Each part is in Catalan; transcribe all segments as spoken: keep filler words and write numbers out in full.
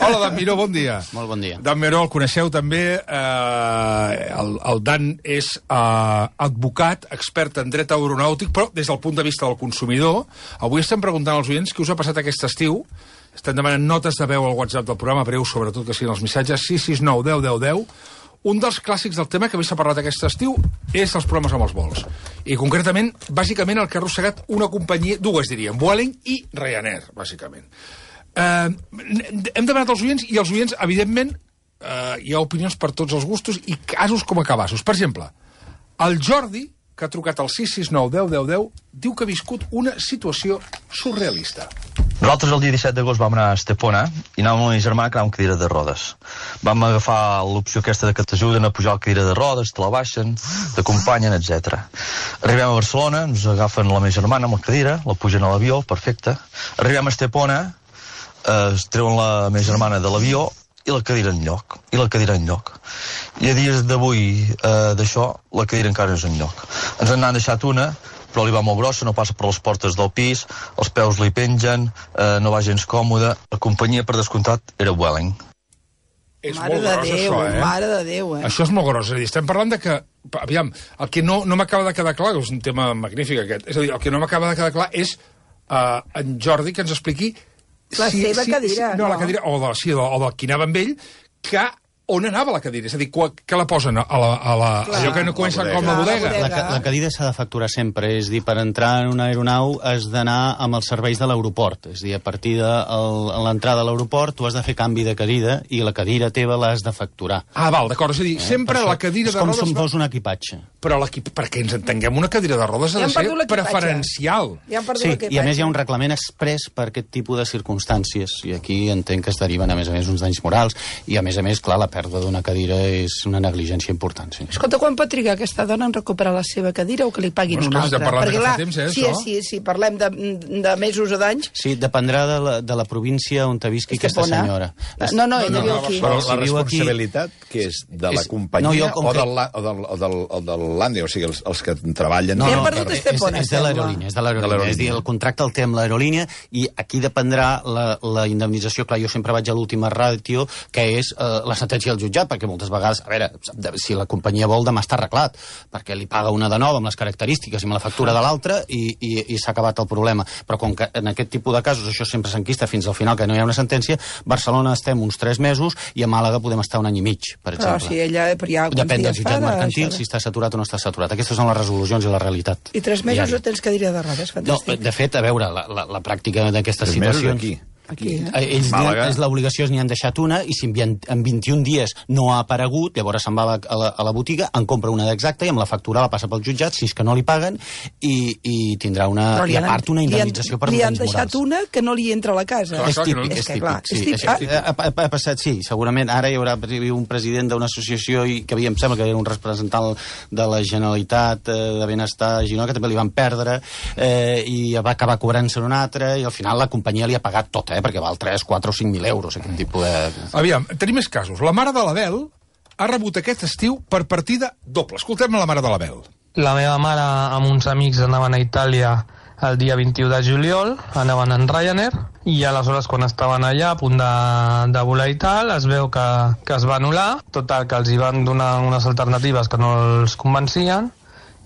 Hola, Dan Miró, bon dia. Molt bon dia. Dan Miró, el coneixeu també. Eh, el, el Dan és eh, advocat, expert en dret aeronàutic, però des del punt de vista del consumidor. Avui estem preguntant als oients què us ha passat aquest estiu. Estem demanant notes de veu al WhatsApp del programa, breu, sobretot que siguin els missatges, sis sis nou deu deu deu. Un dels clàssics del tema que avui s'ha parlat aquest estiu és els problemes amb els vols. I concretament, bàsicament, el que ha arrossegat una companyia, dues diríem, Vueling i Ryanair, bàsicament. Eh, hem demanat als oients, i els oients, evidentment, eh, hi ha opinions per tots els gustos i casos com a cabassos. Per exemple, el Jordi, que ha trucat al sis sis nou deu deu deu, diu que ha viscut una situació surrealista. Nosaltres el dia disset d'agost vam anar a Estepona i anàvem amb la meva germana que anàvem amb cadira de rodes. Vam agafar l'opció aquesta de que t'ajuden a pujar la cadira de rodes, te la baixen, t'acompanyen, etcètera. Arribem a Barcelona, ens agafen la meva germana amb la cadira, la pugen a l'avió, perfecte. Arribem a Estepona, eh, es treuen la meva germana de l'avió i la cadira en lloc, i la cadira en lloc. I a dies d'avui eh, d'això, la cadira encara no és en lloc. Ens n'han deixat una, però li va molt grossa, no passa per les portes del pis, els peus li pengen, eh, no va gens còmode. La companyia, per descomptat, era Vueling. És mare molt de gros, Déu, això, eh? mare de Déu, eh? Això és molt gros. És a dir, estem parlant de que... Aviam, el que no, no m'acaba de quedar clar, és un tema magnífic aquest, és a dir, el que no m'acaba de quedar clar és uh, en Jordi que ens expliqui... La si, seva si, cadira, si, no, no. la cadira, o de, sí, o, o del qui anava amb ell, que on anava la cadira? És a dir, que la posen a la, a la, allò que no comença com la bodega. La, ca la cadira s'ha de facturar sempre, és dir, per entrar en una aeronau has d'anar amb els serveis de l'aeroport, és dir, a partir de l'entrada a l'aeroport tu has de fer canvi de cadira i la cadira teva l'has de facturar. Ah, val, d'acord, és a dir, eh, sempre la cadira de rodes... És com si fos un equipatge. Però perquè ens entenguem, una cadira de rodes ha de ser preferencial. Ja sí, i a més hi ha un reglament express per aquest tipus de circumstàncies, i aquí entenc que es deriven, a més a més, uns danys morals, i a més a més, clar, la pèrdua d'una cadira és una negligència important, sí. Escolta, quan pot trigar aquesta dona en recuperar la seva cadira o que li paguin bueno, una altra? Ja parlem de fa temps, eh, sí, això? Sí, sí, parlem de, de mesos o d'anys. Sí, dependrà de la, de la província on te visqui aquesta senyora. No, no, ella viu aquí. Però la responsabilitat, que és de la companyia o del l'Ande, o sigui, els, els que treballen... No, no, és, és de l'aerolínia, és de l'aerolínia. És dir, el contracte el té amb l'aerolínia i aquí dependrà la, la indemnització. Clar, jo sempre vaig a l'última ràtio, que és eh, la sentència del jutjat, perquè moltes vegades, a veure, si la companyia vol, demà està arreglat, perquè li paga una de nova amb les característiques i amb la factura de l'altra i, i, i s'ha acabat el problema. Però com que en aquest tipus de casos això sempre s'enquista fins al final, que no hi ha una sentència, Barcelona estem uns tres mesos i a Màlaga podem estar un any i mig, per exemple. Però si ella... Però ja depèn del jutjat mercantil, si està saturat o no està saturat. Aquestes són les resolucions i la realitat. I tres mesos no tens cadira de rodes, fantàstic. No, de fet, a veure, la, la, la pràctica d'aquestes situacions... Aquí. Aquí, eh? Ells és l'obligació, n'hi han deixat una i si en vint-i-un dies no ha aparegut, llavors se'n va a la, a la botiga, en compra una d'exacta i amb la factura la passa pel jutjat, si és que no li paguen, i, i tindrà una, i a part una indemnització per danys morals. Li han deixat una que no li entra a la casa. Clar, és típic, és, és típic. Sí, és típic. Ha, ha, ha passat, sí, segurament ara hi haurà un president d'una associació i que em sembla que era un representant de la Generalitat eh, de Benestar a Girona, que també li van perdre eh, i va acabar cobrant-se un altre i al final la companyia li ha pagat tot, eh, perquè val tres, quatre o cinc mil euros, aquest tipus de... Aviam, tenim més casos. La mare de l'Abel ha rebut aquest estiu per partida doble. Escoltem la mare de l'Abel. La meva mare amb uns amics anaven a Itàlia el dia vint-i-u de juliol, anaven en Ryanair, i aleshores quan estaven allà a punt de, de volar i tal, es veu que, que es va anul·lar, total, que els hi van donar unes alternatives que no els convencien,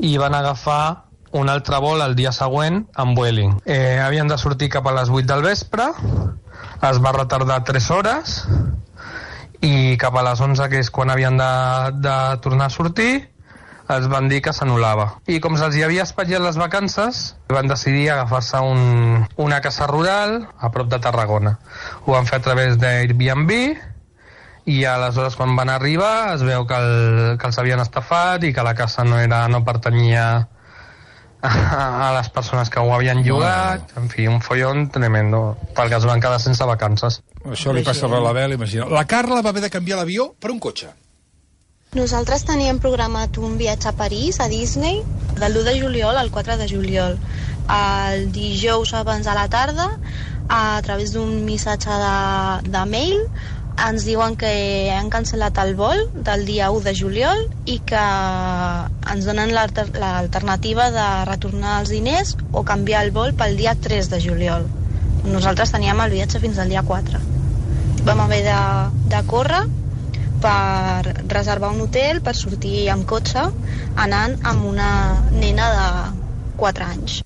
i van agafar un altre vol el dia següent amb Vueling. Eh, havien de sortir cap a les vuit del vespre, es va retardar tres hores i cap a les onze, que és quan havien de, de tornar a sortir, els van dir que s'anul·lava. I com se'ls hi havia espatllat les vacances, van decidir agafar-se un, una casa rural a prop de Tarragona. Ho van fer a través d'Airbnb i aleshores quan van arribar es veu que, el, que els havien estafat i que la casa no, era, no pertanyia a les persones que ho havien llogat, en fi, un follon tremendo, perquè es van quedar sense vacances. Això li passa a l'Abel, imagina. La Carla va haver de canviar l'avió per un cotxe. Nosaltres teníem programat un viatge a París, a Disney, del l'u de juliol al quatre de juliol. El dijous abans de la tarda, a través d'un missatge de, de mail, ens diuen que han cancel·lat el vol del dia u de juliol i que ens donen l'alternativa de retornar els diners o canviar el vol pel dia tres de juliol. Nosaltres teníem el viatge fins al dia quatre. vam haver de, de córrer per reservar un hotel, per sortir amb cotxe, anant amb una nena de quatre anys.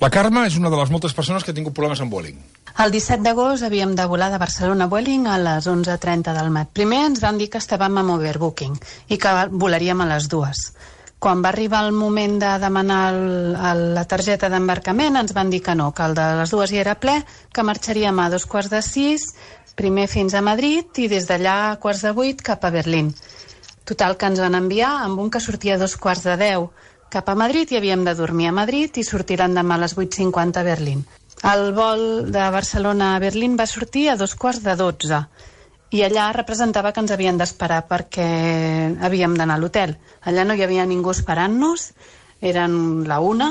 La Carme és una de les moltes persones que ha tingut problemes amb Vueling. El disset d'agost havíem de volar de Barcelona a Vueling a les onze trenta del mat. Primer ens van dir que estàvem amb overbooking i que volaríem a les dues. Quan va arribar el moment de demanar el, el, la targeta d'embarcament ens van dir que no, que el de les dues hi era ple, que marxaríem a dos quarts de sis, primer fins a Madrid i des d'allà a quarts de vuit cap a Berlín. Total, que ens van enviar amb un que sortia a dos quarts de deu cap a Madrid i havíem de dormir a Madrid i sortir l'endemà a les vuit cinquanta a Berlín. El vol de Barcelona a Berlín va sortir a dos quarts de dotze i allà representava que ens havien d'esperar perquè havíem d'anar a l'hotel. Allà no hi havia ningú esperant-nos, eren la una,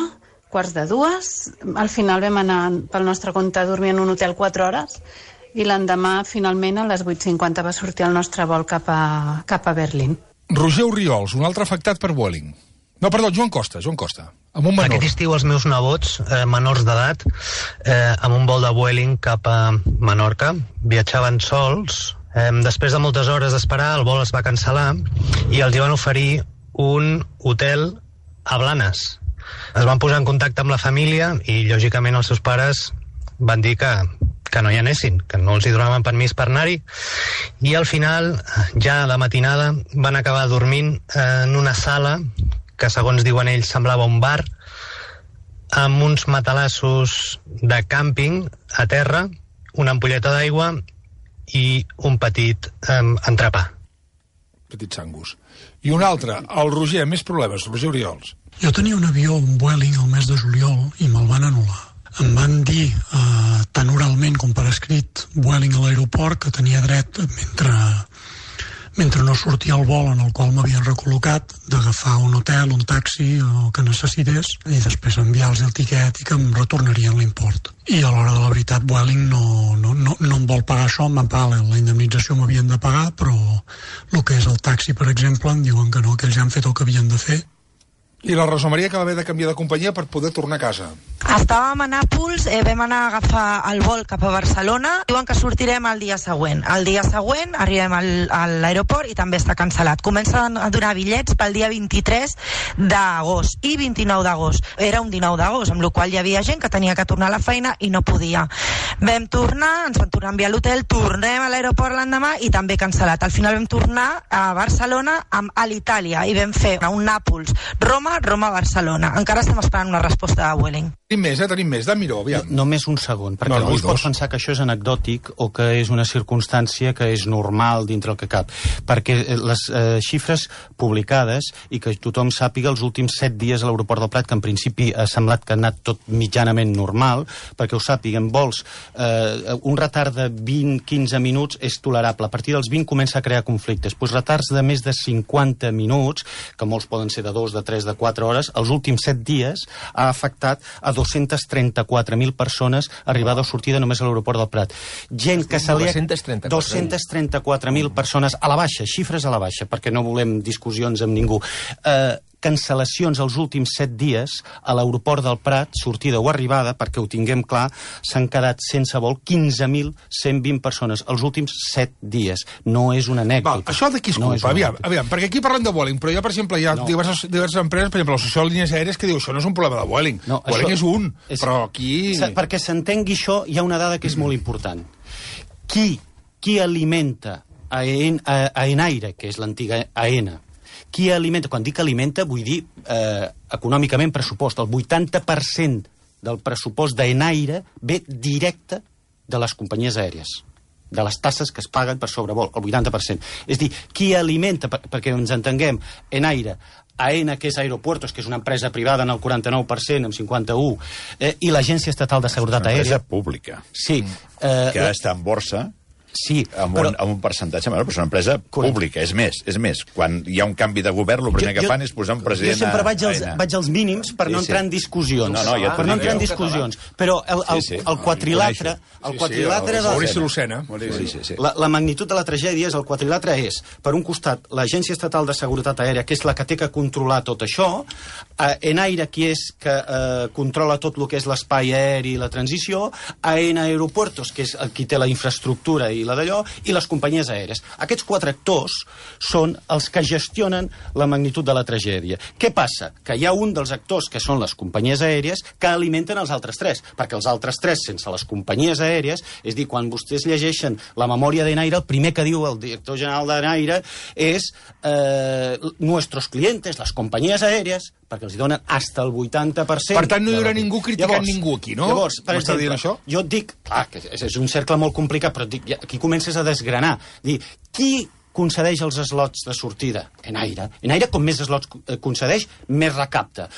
quarts de dues, al final vam anar pel nostre compte a dormir en un hotel quatre hores i l'endemà, finalment, a les vuit cinquanta va sortir el nostre vol cap a, cap a Berlín. Roger Oriols, un altre afectat per Vueling. No, perdó, Joan Costa, Joan Costa. Amb un menor. Aquest estiu els meus nebots, eh, menors d'edat, eh, amb un vol de Vueling cap a Menorca, viatjaven sols. Eh, després de moltes hores d'esperar, el vol es va cancel·lar i els hi van oferir un hotel a Blanes. Es van posar en contacte amb la família i, lògicament, els seus pares van dir que que no hi anessin, que no els hi donaven permís per anar-hi, i al final, ja a la matinada, van acabar dormint en una sala que, segons diuen ells, semblava un bar, amb uns matalassos de càmping a terra, una ampolleta d'aigua i un petit eh, entrepà. Petit sangus. I un altre, el Roger, més problemes, Roger Oriols. Jo tenia un avió, un Vueling, al mes de juliol, i me'l van anul·lar. Em van dir, eh, tant oralment com per escrit, Vueling a l'aeroport, que tenia dret, mentre, mentre no sortia el vol en el qual m'havien recol·locat, d'agafar un hotel, un taxi, o que necessités, i després enviar-los el tiquet i que em retornarien l'import. I a l'hora de la veritat, Vueling no, no, no, no em vol pagar això, em van pagar la indemnització, m'havien de pagar, però el que és el taxi, per exemple, em diuen que no, que ells ja han fet el que havien de fer. I la Rosa Maria, que va haver de canviar de companyia per poder tornar a casa. Estàvem a Nàpols, eh, vam anar a agafar el vol cap a Barcelona, diuen que sortirem el dia següent. El dia següent arribem al, a l'aeroport i també està cancel·lat. Comencen a donar bitllets pel dia vint-i-tres d'agost i vint-i-nou d'agost. Era un dinou d'agost, amb la qual hi havia gent que tenia que tornar a la feina i no podia. Vam tornar, ens van tornar a enviar a l'hotel, tornem a l'aeroport l'endemà i també cancel·lat. Al final vam tornar a Barcelona amb a l'Itàlia i vam fer un Nàpols, Roma, Roma-Barcelona. Encara estem esperant una resposta de Vueling. Tenim més, eh? Tenim més. De Miró, aviam. No, només un segon, perquè no, no, algú es pot pensar que això és anecdòtic o que és una circumstància que és normal dintre el que cap. Perquè les eh, xifres publicades, i que tothom sàpiga, els últims set dies a l'aeroport del Prat, que en principi ha semblat que ha anat tot mitjanament normal, perquè ho sàpiguen, vols, eh, un retard de vint a quinze minuts és tolerable. A partir dels vint comença a crear conflictes. Pues retards de més de cinquanta minuts, que molts poden ser de dos, de tres, de quatre hores, els últims set dies ha afectat a dos-cents trenta-quatre mil persones arribada o sortida només a l'aeroport del Prat. Gent que se li ha... dos-cents trenta-quatre mil persones a la baixa, xifres a la baixa, perquè no volem discussions amb ningú. Eh, cancel·lacions els últims set dies a l'aeroport del Prat, sortida o arribada, perquè ho tinguem clar, s'han quedat sense vol quinze mil cent vint persones els últims set dies. No és una anècdota. Val, això de qui es culpa? No aviam, aviam, perquè aquí parlem de Vueling, però ja, per exemple, hi ha no. diverses, diverses empreses, per exemple, l'Associació de Línies Aèries, que diu això no és un problema de Vueling. No, Vueling és un, és... però aquí... Perquè s'entengui això, hi ha una dada que és molt important. Qui, qui alimenta a, en, a, a Enaire, que és l'antiga AENA, qui alimenta, quan dic alimenta, vull dir eh, econòmicament pressupost. El vuitanta per cent del pressupost d'Enaire ve directe de les companyies aèries, de les tasses que es paguen per sobrevol, el vuitanta per cent. És dir, qui alimenta, per, perquè ens entenguem, Enaire, AENA, que és Aeropuertos, que és una empresa privada en el quaranta-nou per cent, amb cinquanta-un, eh, i l'Agència Estatal de Seguretat Aèria... Una empresa pública. Sí. Eh, que està en borsa... Sí, amb, però... un, amb un percentatge menor, però és una empresa Correcte. pública, és més, és més. Quan hi ha un canvi de govern, el primer jo, que fan és posar un president... Jo sempre vaig als, vaig als mínims per no sí, entrar en discussions. No, no, ja per no entrar en discussions. Però el, el, sí, sí. el quadrilatre... El quadrilatre sí, sí, Lucena. Sí, sí, sí. La, la magnitud de la tragèdia és el quadrilatre és, per un costat, l'Agència Estatal de Seguretat Aèria, que és la que té que controlar tot això, eh, Enaire, qui és que eh, controla tot el que és l'espai aeri i la transició, AENA Aeropuertos, que és el qui té la infraestructura i i la d'allò, i les companyies aèries. Aquests quatre actors són els que gestionen la magnitud de la tragèdia. Què passa? Que hi ha un dels actors, que són les companyies aèries, que alimenten els altres tres, perquè els altres tres, sense les companyies aèries, és dir, quan vostès llegeixen la memòria d'Enaire, el primer que diu el director general d'Enaire és eh, nuestros clientes, les companyies aèries, perquè els donen hasta el vuitanta per cent... Per tant, no hi haurà ningú criticant llavors, ningú aquí, no? Llavors, per exemple, això? Jo et dic, clar, que és un cercle molt complicat, però et dic, aquí comences a desgranar. Dir, qui concedeix els slots de sortida? Enaire. Enaire, com més slots concedeix, més recapta.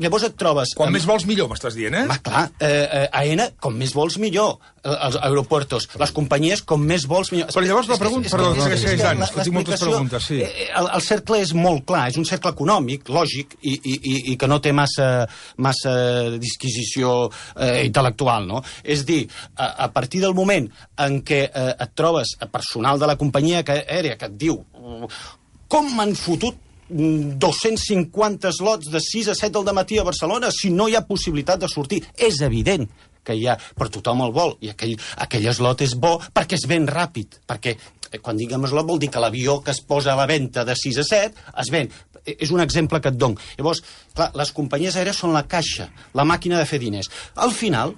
Llavors et trobes... Quan amb... més vols, millor, m'estàs dient, eh? Va, clar. Eh, eh, Aena, com més vols, millor. Els aeropuertos. Les companyies, com més vols, millor. Però llavors la pregunta... Perdó, que segueix anys, que tinc moltes preguntes, sí. El, el cercle és molt clar, és un cercle econòmic, lògic, i, i, i que no té massa, massa disquisició eh, intel·lectual, no? És dir, a, a partir del moment en què eh, et trobes personal de la companyia aèria que et diu com m'han fotut dos-cents cinquanta slots de sis a set del dematí a Barcelona si no hi ha possibilitat de sortir. És evident que hi ha, però tothom el vol, i aquell, aquell slot és bo perquè es ven ràpid, perquè quan diguem slot vol dir que l'avió que es posa a la venda de sis a set es ven. És un exemple que et dono. Llavors, clar, les companyies aèries són la caixa, la màquina de fer diners. Al final,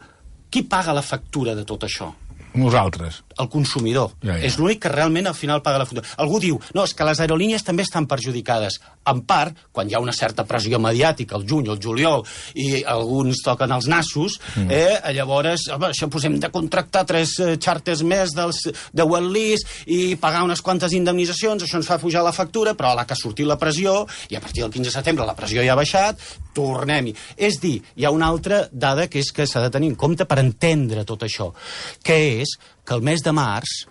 qui paga la factura de tot això? Nosaltres. El consumidor. Ja, ja. És l'únic que realment al final paga la factura. Algú diu, no, és que les aerolínies també estan perjudicades. En part, quan hi ha una certa pressió mediàtica, el juny o el juliol, i alguns toquen els nassos, mm. eh, llavors, home, això pues, hem de contractar tres eh, xàrters més dels, de Welllease i pagar unes quantes indemnitzacions, això ens fa pujar la factura, però a la que ha sortit la pressió, i a partir del quinze de setembre la pressió ja ha baixat, tornem-hi. És dir, hi ha una altra dada que és que s'ha de tenir en compte per entendre tot això, que és que el mes de març,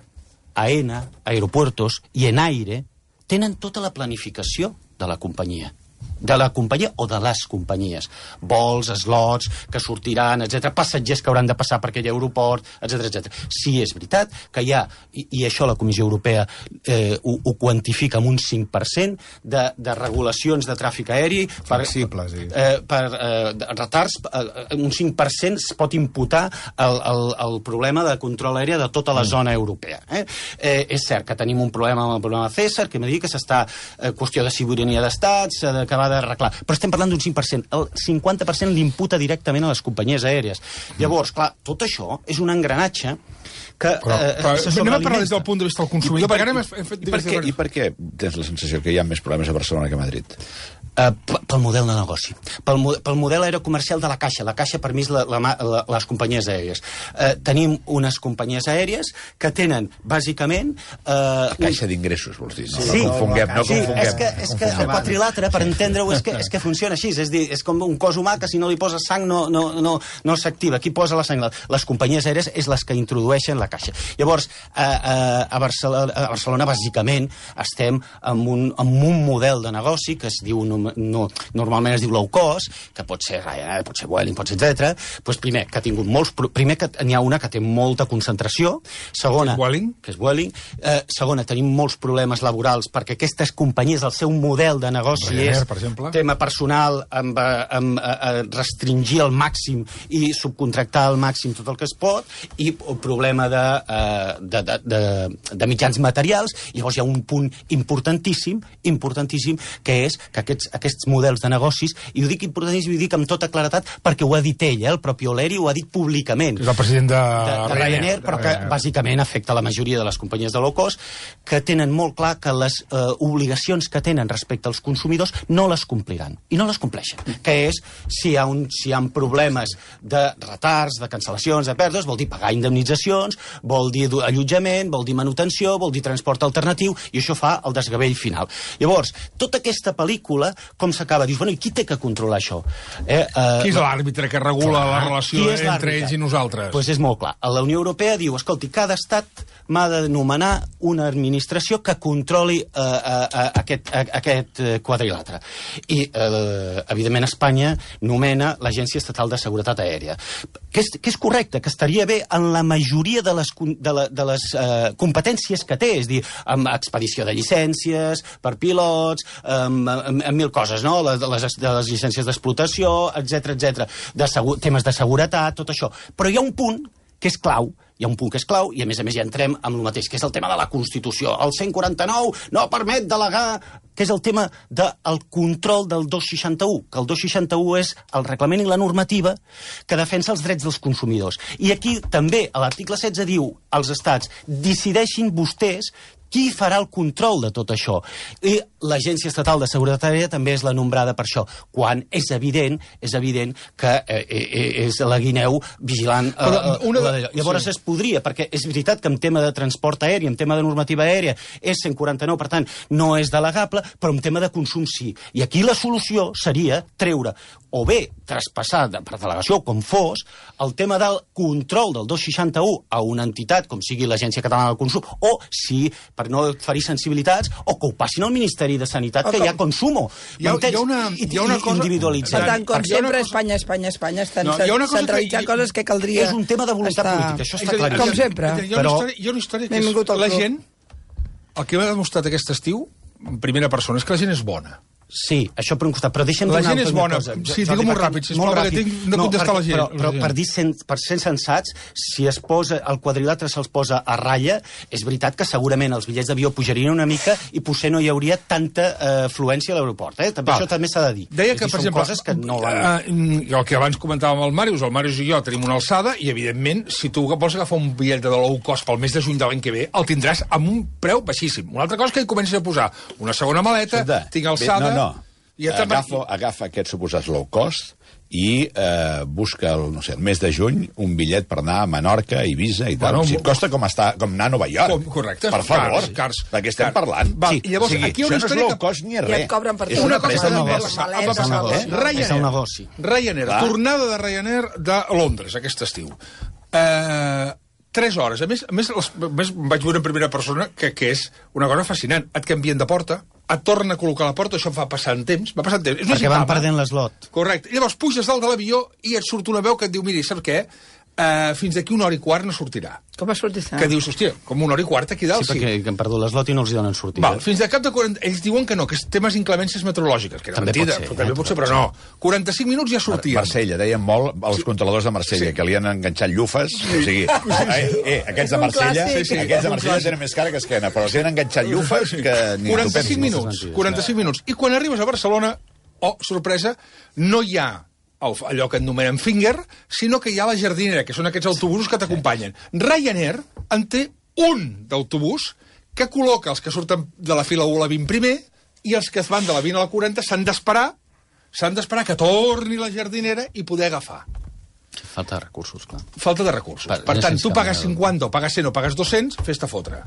Aena, Aeropuertos i Enaire tenen tota la planificació de la companyia. De la companyia o de les companyies. Vols, slots, que sortiran, etcètera, passatgers que hauran de passar per aquell aeroport, etcètera, etcètera. Sí, és veritat que hi ha, i, i això la Comissió Europea eh, ho, ho quantifica amb un cinc per cent de, de regulacions de tràfic aeri per, flexibles, sí. eh, per eh, retards, eh, un cinc per cent es pot imputar el, el, el problema de control aeri de tota la mm. zona europea. Eh? Eh, és cert que tenim un problema amb el problema César, que m'ha dit que s'està eh, qüestió de sobirania d'estat, s'ha d'acabar d'arreglar. Però estem parlant d'un cinc per cent. El cinquanta per cent l'imputa directament a les companyies aèries. Llavors, clar, tot això és un engranatge que però, eh, però, se anem a parlar des del punt de vista del consumidor, perquè ara hem fet... I per, què, I per què tens la sensació que hi ha més problemes a Barcelona que a Madrid? Uh, pel model de negoci, pel, pel model aerocomercial de la Caixa. La Caixa, per mi, és la, la, la, les companyies aèries. Uh, tenim unes companyies aèries que tenen, bàsicament... Uh, la Caixa d'ingressos, vols dir? No, sí, no confonguem, no sí, confonguem. És que, és que el quadrilatre, per entendre-ho, és, que, és que funciona així. És dir, és com un cos humà que si no li poses sang no, no, no, no s'activa. Qui posa la sang? Les companyies aèries és les que introdueixen la Caixa. Llavors, a, a, a, Barcelona, a Barcelona, bàsicament, estem amb un, amb un model de negoci que es diu... No, normalment es diu low cost, que pot ser Ryanair, pot ser Vueling, pot ser etcètera. Pues primer, que ha tingut molts... Primer, que n'hi ha una que té molta concentració. Segona... Que és Vueling? Que és Vueling. Eh, segona, tenim molts problemes laborals perquè aquestes companyies, el seu model de negoci Ryanair, és per exemple. Tema personal, amb, amb, amb restringir al màxim i subcontractar al màxim tot el que es pot, i el problema de, de, de, de, de mitjans materials. Llavors hi ha un punt importantíssim, importantíssim, que és que aquests, aquests models de negocis, i ho dic importantíssim, i ho dic amb tota claretat, perquè ho ha dit ell, eh? El propi O'Leary ho ha dit públicament. És el president de, de, de Ryanair, però que bàsicament afecta la majoria de les companyies de low cost, que tenen molt clar que les eh, obligacions que tenen respecte als consumidors no les compliran, i no les compleixen. Que és, si hi ha, un, si hi ha problemes de retards, de cancel·lacions, de pèrdues, vol dir pagar indemnitzacions, vol dir allotjament, vol dir manutenció, vol dir transport alternatiu, i això fa el desgavell final. Llavors, tota aquesta pel·lícula, com s'acaba? Dius, bueno, i qui té que controlar això? Eh, uh, qui és l'àrbitre que regula clar, la relació entre ells i nosaltres? Doncs pues és molt clar. La Unió Europea diu, escolti, cada estat m'ha de nomenar una administració que controli uh, uh, uh, aquest, uh, aquest uh, quadrilatre. I, uh, evidentment, Espanya nomena l'Agència Estatal de Seguretat Aèria. Que és, que és correcte, que estaria bé en la majoria de les, de la, de les uh, competències que té, és dir, amb expedició de llicències per pilots, amb, amb, amb mil coses, no? Les, les, de les llicències d'explotació, etcètera, etcètera, de segur, temes de seguretat, tot això. Però hi ha un punt que és clau, hi ha un punt que és clau, i a més a més ja entrem amb el mateix, que és el tema de la Constitució. El cent quaranta-nou no permet delegar, que és el tema del control del dos seixanta-u, que el dos seixanta-u és el reglament i la normativa que defensa els drets dels consumidors. I aquí també, a l'article setze diu als estats, decideixin vostès qui farà el control de tot això. I l'Agència Estatal de Seguretat Aèria també és la nombrada per això, quan és evident és evident que eh, eh, és la guineu vigilant eh, Però una de... la... Llavors sí. es podria, perquè és veritat que en tema de transport aeri, en tema de normativa aèria, és cent quaranta-nou, per tant, no és delegable, però en tema de consum sí. I aquí la solució seria treure o bé traspassar de, per delegació, com fos, el tema del control del dos seixanta-u a una entitat, com sigui l'Agència Catalana del Consum, o, si, per no ferir sensibilitats, o que ho passin al Ministeri de Sanitat, o que com... hi ha consumo. Hi ha, hi ha una, hi ha una cosa... Per tant, com per sempre, cosa... Espanya, Espanya, Espanya, estan no, centralitzant que... coses que caldria... És un tema de voluntat estar... política, això està claríssim. Com sempre. Hi ha una història, hi ha una història que és la gent... El que m'ha demostrat aquest estiu, en primera persona, és que la gent és bona. Sí, això per un costat, però deixa'm la gent és bona. Cosa. Sí, digue-m'ho ràpid, sisplau, perquè tinc de contestar no, la gent. Però, però per, dir sen, per ser sensats, si es posa el quadrilàter se'ls posa a ratlla, és veritat que segurament els bitllets d'avió pujarien una mica i potser no hi hauria tanta uh, afluència a l'aeroport. Eh? També, això també s'ha de dir. Deia que, per exemple, coses que no van... uh, el que abans comentàvem el Màrius, el Màrius i jo tenim una alçada i, evidentment, si tu vols agafar un bitllet de low cost pel mes de juny de l'any que ve, el tindràs amb un preu baixíssim. Una altra cosa és que hi comencis a posar una segona maleta, tinc alçada... No, no. I agafa, agafa aquests suposats low cost i eh, busca el, no sé, el mes de juny un bitllet per anar a Menorca, Eivissa i tal. Bueno, si et costa com, està, com anar a Nova York. Com, correcte. Per favor, cars, cars, de què estem cars. parlant? Va, sí. I llavors, o sigui, aquí una això no és low cost ni res. I et cobren per és una cosa de negoci. És un negoci. Ryanair, tornada de Ryanair de Londres aquest estiu. Eh... Tres hores. A més, a més, les, a més vaig veure en primera persona que, que és una cosa fascinant. Et canvien de porta, et tornen a col·locar a la porta, això va passant temps, va passant temps. És perquè van perdent l'eslot. Correcte. I llavors puges dalt de l'avió i et surt una veu que et diu, miri, saps què? Uh, fins d'aquí una hora i quart no sortirà. Com ha sortit? Que dius, hòstia, com una hora i quart aquí dalt, sí. Sí, perquè han perdut l'eslot i no els hi donen sortida. Val, fins de cap de quaranta... Ells diuen que no, que és temes inclemències meteorològiques, que era també mentida, pot ser, però, també eh? pot ser, però no. quaranta-cinc minuts ja sortien. Marsella, deien molt als sí. controladors de Marsella, sí. que li han enganxat llufes, sí. o sigui, eh, eh, aquests de Marsella, sí, sí, aquests de Marsella tenen més cara que esquena, però els han enganxat llufes que ni quaranta-cinc minuts, quaranta-cinc minuts. I quan arribes a Barcelona, oh, sorpresa, no hi ha allò que anomenen finger, sinó que hi ha la jardinera, que són aquests autobusos que t'acompanyen. Ryanair en té un d'autobús que col·loca els que surten de la fila u a la vint primer i els que es van de la vint a la quaranta s'han d'esperar s'han d'esperar que torni la jardinera i poder agafar. Falta de recursos, clar. Falta de recursos. Per, per tant, tu pagues cinquanta o pagues cent o pagues dos-cents, fes-te fotre.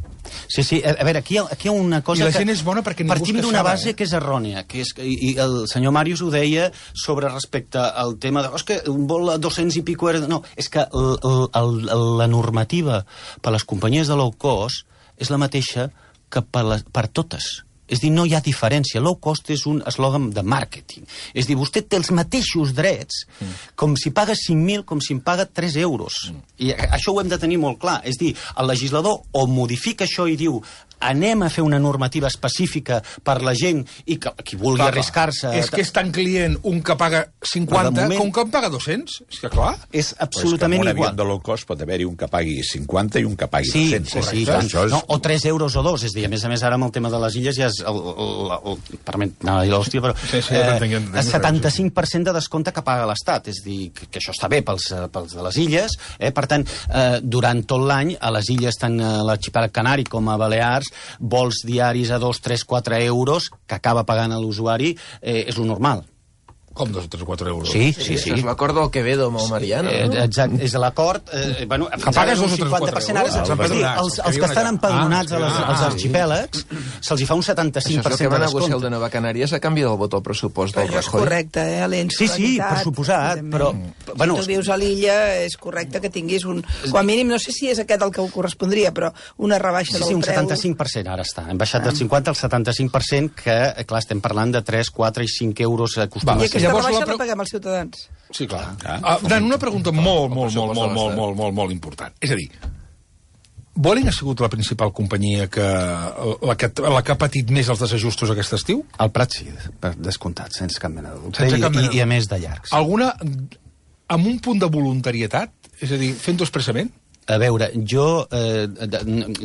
Sí, sí, a, a veure, aquí hi, ha, aquí hi ha una cosa I la que... gent és bona perquè ningú partim d'una base eh? que és errònia, que és, i, i el senyor Màrius ho deia sobre respecte al tema de... Oh, és que un vol a dos-cents i pico... Era... No, és que el, el, el, la normativa per les companyies de low cost és la mateixa que per, la, per totes. És dir, no hi ha diferència. Low cost és un eslògan de màrqueting. És dir, vostè té els mateixos drets mm. com si paga cinc mil, com si em paga tres euros. Mm. I això ho hem de tenir molt clar. És dir, el legislador o modifica això i diu anem a fer una normativa específica per la gent i que qui vulgui clar, arriscar-se... És que és tan client un que paga cinquanta moment, com que en paga dos-cents. És que clar... És absolutament igual. Però és que en un avió de low cost pot haver-hi un que pagui cinquanta i un que pagui sí, dos-cents. Sí, sí, és... no, o tres euros o dos. És dir, a més a més, ara amb el tema de les illes ja és... El, el, el, el, permet, no, l'hòstia, però... Sí, sí, eh, el setanta-cinc per cent de descompte que paga l'Estat. És dir, que, que això està bé pels, pels de les illes. Eh? Per tant, eh, durant tot l'any, a les illes, tant a l'arxipèlag Canari com a Balears, vols diaris a dos, tres, quatre euros que acaba pagant a l'usuari, eh, és lo normal. Com dos o tres o quatre euros? Sí, sí, sí. És l'acord del Quevedo amb el Mariano, no? Eh, exacte, és l'acord... Eh, bueno, que pagues dos o tres o quatre euros. Sí, els, els que estan empadronats ah, als, als arxipèlags se'ls hi fa un setanta-cinc per cent de descompte. Això és el que va negociar el de Nova Canàries a canvi del vot al pressupost del Rajoy. És correcte, eh? Sí, sí, per suposat, però... Bueno, si tu vius a l'illa, és correcte que tinguis un... Com a mínim, no sé si és aquest el que ho correspondria, però una rebaixa del preu... Sí, sí, un setanta-cinc per cent ara està. Hem baixat del cinquanta al setanta-cinc per cent, que, clar, estem parlant de tres, quatre i cinc euros acostumats. I aquesta rebaixa la paguem els ciutadans. Sí, clar. Ah, Dan, una pregunta molt, molt, molt, molt, molt, molt, molt, molt important. És a dir, Vueling ha sigut la principal companyia que la, que la que ha patit més els desajustos aquest estiu? El Prat sí, per descomptat, sense cap mena de dubte. I, i, I a més de llargs. Alguna amb un punt de voluntarietat? És a dir, fent-ho expressament? A veure, jo, eh,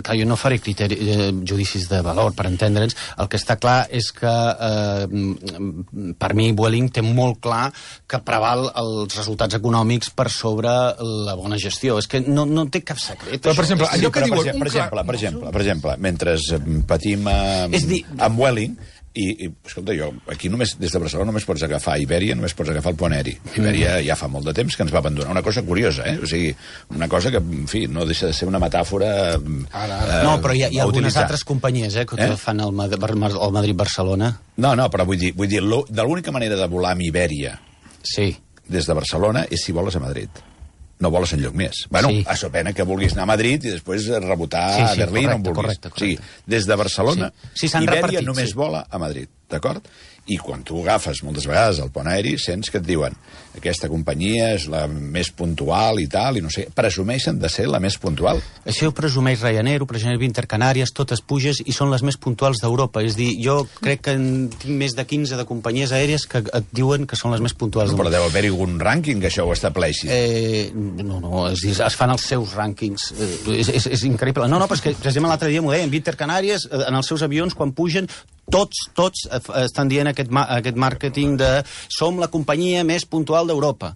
clar, jo no faré criteri, eh, judicis de valor, per entendre'ns. El que està clar és que, eh, per mi, Vueling té molt clar que preval els resultats econòmics per sobre la bona gestió. És que no, no té cap secret. Però, per exemple, allò que diuen... diuen... Per exemple, per exemple, per exemple, mentre patim amb, dir... amb Vueling, I, i, escolta, jo, aquí només, des de Barcelona només pots agafar Ibèria, només pots agafar el pont aeri. Ibèria ja fa molt de temps que ens va abandonar. Una cosa curiosa, eh? O sigui, una cosa que, en fi, no deixa de ser una metàfora... Ara, ara. Eh, no, però hi ha, hi ha algunes altres companyies, eh, que eh? fan el, el Madrid-Barcelona. No, no, però vull dir, vull dir de l'única manera de volar amb Ibèria sí. des de Barcelona és si voles a Madrid. No voles enlloc més. Bueno, sí. A so pena que vulguis anar a Madrid i després rebotar sí, sí, a Berlín correcte, on vulguis. Correcte, correcte. O sigui, des de Barcelona, sí. Sí, Ibèria repartit, només sí. vola a Madrid, d'acord? I quan tu agafes moltes vegades el pont aeri, sents que et diuen aquesta companyia és la més puntual i tal, i no sé, presumeixen de ser la més puntual. Això ho presumeix Ryanair, ho presumeix Intercanàries, totes puges i són les més puntuals d'Europa. És dir, jo crec que en tinc més de quinze de companyies aèries que et diuen que són les més puntuals no, però deu haver-hi algun rànquing que això ho estableixi. Eh, no, no, és dir, es fan els seus rànquings. Eh, és, és, és increïble. No, no, però és que, per exemple, l'altre dia m'ho deien, Intercanàries, en els seus avions, quan pugen, tots, tots estan dient aquest, aquest màrqueting de som la companyia més puntual d'Europa.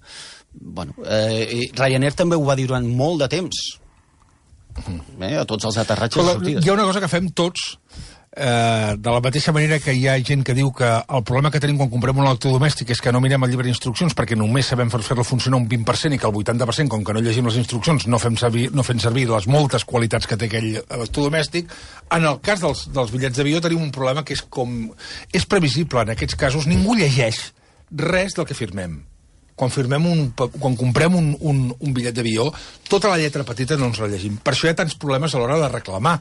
Bueno, eh, Ryanair també ho va dir durant molt de temps. Eh, a tots els aterratges i sortides. Hi ha una cosa que fem tots, eh, de la mateixa manera que hi ha gent que diu que el problema que tenim quan comprem un electrodomèstic és que no mirem el llibre d'instruccions perquè només sabem fer-lo funcionar un vint per cent i que el vuitanta per cent, com que no llegim les instruccions, no fem servir, no fem servir les moltes qualitats que té aquell electrodomèstic. En el cas dels, dels bitllets d'avió tenim un problema que és com... És previsible, en aquests casos ningú llegeix res del que firmem. Quan firmem un, quan comprem un, un, un bitllet d'avió, tota la lletra petita no ens la llegim. Per això hi ha tants problemes a l'hora de reclamar.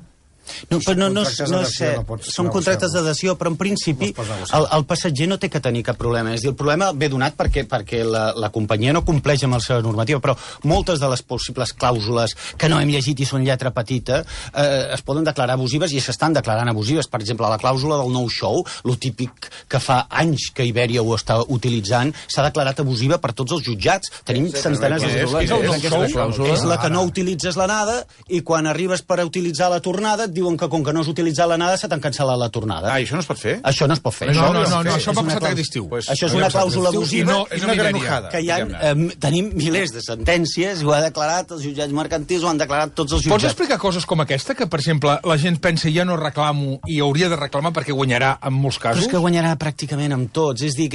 No, però no, no, no sé, no pots, són contractes d'adhesió, però en principi el, el passatger no té que tenir cap problema. És dir, el problema ve donat perquè, perquè la, la companyia no compleix amb la seva normativa, però moltes de les possibles clàusules que no hem llegit i són lletra petita eh, es poden declarar abusives i s'estan declarant abusives. Per exemple, la clàusula del no-show, lo típic que fa anys que Ibèria ho està utilitzant, s'ha declarat abusiva per tots els jutjats. Tenim centenars de clàusules. És la que no utilitzes l'anada i quan arribes per a utilitzar la tornada diuen que com que no has utilitzat l'anada se t'han cancel·lat la tornada. Ah, i això no es pot fer? Això no es pot fer. No, no, no, no això va passar aquest estiu. Pues, això és una clàusula abusiva no, és una granujada. Que hi ha, eh, tenim milers de sentències, ho ha declarat els jutjats mercantils, ho han declarat tots els jutjats. Pots explicar coses com aquesta, que per exemple la gent pensa ja no reclamo i hauria de reclamar perquè guanyarà en molts casos? Però és que guanyarà pràcticament amb tots. És dir,